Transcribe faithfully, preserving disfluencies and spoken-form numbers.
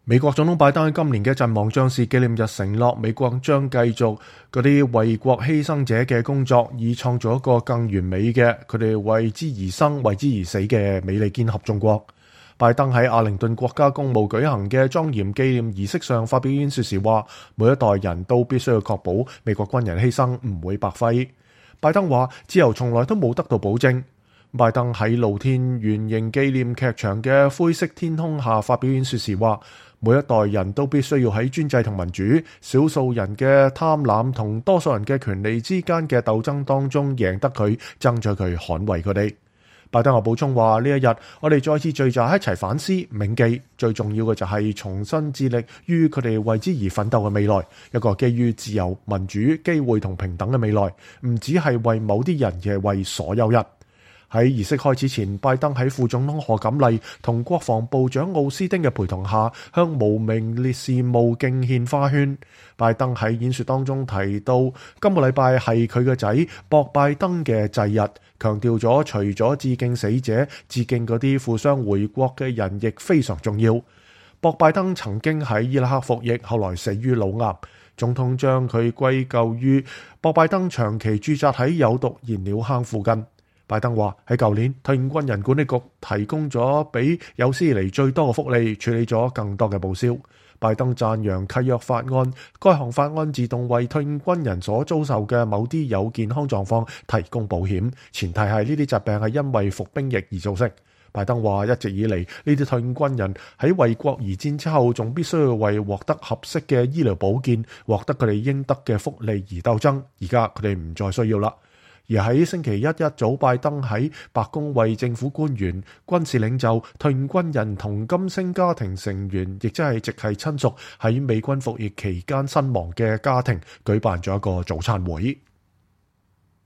美國總統拜登喺今年嘅陣亡將士紀念日承諾，美國將繼續嗰啲為國犧牲者嘅工作，以創造一個更完美嘅佢哋為之而生、為之而死嘅美利堅合眾國。拜登喺阿靈頓國家公墓舉行嘅莊嚴紀念儀式上發表演說時話，每一代人都必須要確保美國軍人犧牲唔會白費。拜登話，自由從來都冇得到保證。拜登喺露天圓形紀念劇場嘅灰色天空下發表演說時話，每一代人都必須要喺專制同民主、少數人嘅貪婪同多數人嘅權利之間嘅鬥爭當中贏得佢、爭取佢、捍衛佢哋。拜登又補充話，呢一日我哋再次聚集一齊反思、銘記，最重要嘅就係重新致力於佢哋為之而奮鬥嘅未來，一個基於自由、民主、機會同平等嘅未來，唔只係為某啲人，而係為所有人。喺儀式開始前，拜登喺副總統賀錦麗同國防部長奧斯丁嘅陪同下，向無名烈士墓敬獻花圈。拜登喺演說當中提到，今個禮拜係佢嘅仔博拜登嘅祭日，強調咗除咗致敬死者，致敬嗰啲負傷回國嘅人亦非常重要。博拜登曾經喺伊拉克服役，後來死於腦癌。總統將佢歸咎於博拜登長期駐紮喺有毒燃料坑附近。拜登話喺舊年，退伍軍人管理局提供咗比有史以嚟最多嘅福利，處理咗更多嘅報銷。拜登讚揚契約法案，該項法案自動為退伍軍人所遭受嘅某啲有健康狀況提供保險，前提係呢啲疾病係因為服兵役而造成。拜登話一直以嚟，呢啲退伍軍人喺為國而戰之後，仲必須要為獲得合適嘅醫療保健、獲得佢哋應得嘅福利而鬥爭。而家佢哋唔再需要啦。而喺星期一一早，拜登喺白宮為政府官員、軍事領袖、退伍軍人同金星家庭成員，亦即係直系親屬喺美軍服役期間身亡嘅家庭舉辦咗一個早餐會。